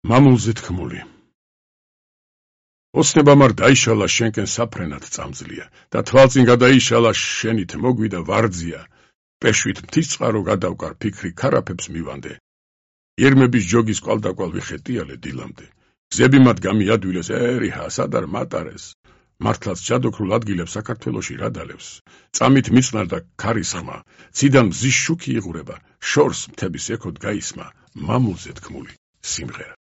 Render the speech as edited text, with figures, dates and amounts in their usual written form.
მამულზე თქმული. ოცნება მარ დაიშალა შენკენ საფრენად წამძლია და თვალწინ გადაიშალა შენით მოგვიდა ვარძია პეშვით მთისწყარო გადავკარ ფიქრი ქარაფებს მივანდე ირმების ჯოგის კვალდაკვალ ვიხეტიალე დილამდე გზები მათ გამიადვილეს ერიჰა სადარ მატარეს მართლაც ჯადოქრულ ადგილებს საქართველოში რადალევს წამით მიწნარდა ქარის ხმა ციდან მზის შუქი იღურება შორს მთების ექოდ გაისმა მამულზე თქმული სიმღერა